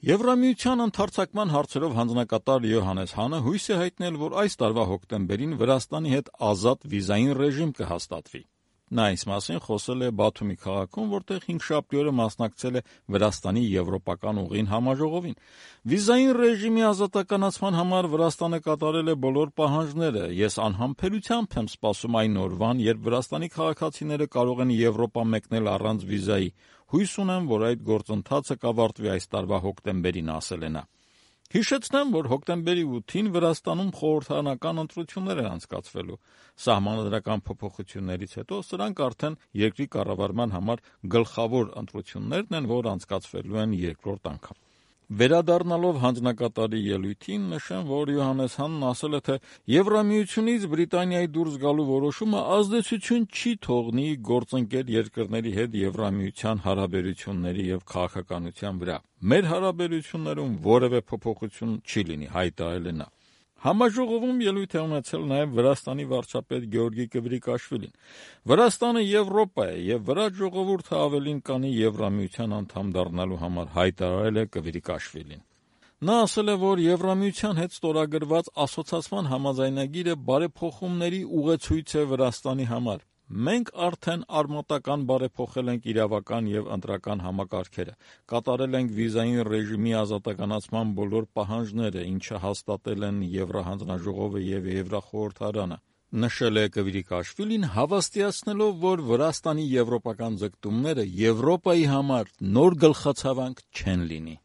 Եվրամիության ընդարձակման հարցերով հանձնակատար Յոհաննես Հանը հույս է հայտնել, որ այս տարվա հոկտեմբերին Վրաստանի հետ ազատ վիզային ռեժիմ կհաստատվի։ Նա այս մասին խոսել է Բաթումի քաղաքում, որտեղ հինգշաբթի օրը մասնակցել է Վրաստանի եվրոպական ուղին համաժողովին։ Վիզային ռեժիմի ազատականացման համար Վրաստանը կատարել է բոլոր պահանջները։ Ես անհամբերությամբ եմ սպասում այն օրվան, երբ Վրաստանի քաղաքացիները կարող են Եվրոպա մեկնել առանց վիզայի։ Հույս ունեմ, որ այդ գործընթացը կավարտվի այս տարվա հոկտեմբերին, ասել է նա։ Հիշեցնեմ, որ հոկտեմբերի 8-ին Վրաստանում խորհրդարանական ընտրություններ են անցկացվելու։ Սահմանադրական փոփոխություններից հետո սրանք արդեն երկրի կառավարման համար գլխավոր ընտրություններն են, որ անցկացվելու են երկրորդ անգամ։ Վերադառնալով հանձնակատարի ելույթին, նշեմ, որ Յոհաննես Հանն ասել է, թե Եվրամիությունից Բրիտանիայի դուրս գալու որոշումը ազդեցություն չի թողնի գործընկեր երկրների հետ Եվրամիության հարաբերությունների եւ քաղաքականության վրա։ Մեր հարաբերություններում որևէ փոփոխություն չի լինի, հայտարարել է նա։ Համաժողովում ելույթ է ունեցել նաև Վրաստանի վարչապետ Գեորգի Կվրիկաշվիլին։ Վրաստանը Եվրոպա է եւ վրա ժողովուրդը ավելին կանի Եվրամիության անդամ դառնալու համար, հայտարարել է Կվրիկաշվիլին։ Նա ասել է, որ Եվրամիության հետ ստորագրված ասոցիացիան համաձայնագիրը բարեփոխումների ուղեցույց է Վրաստանի համար։ Մենք արդեն արմատական բարեփոխել ենք իրավական եւ ընտրական համակարգերը, կատարել ենք վիզային ռեժիմի ազատականացման բոլոր պահանջները, ինչը հաստատել են Եվրահանձնաժողովը եւ Եվրախորհրդարանը, նշել է Կվրիկաշվիլին, հավաստիացնելով, որ Վրաստանի եվրոպական ձգտումները Եվրոպայի համար նոր գլխացավանք չեն լինի։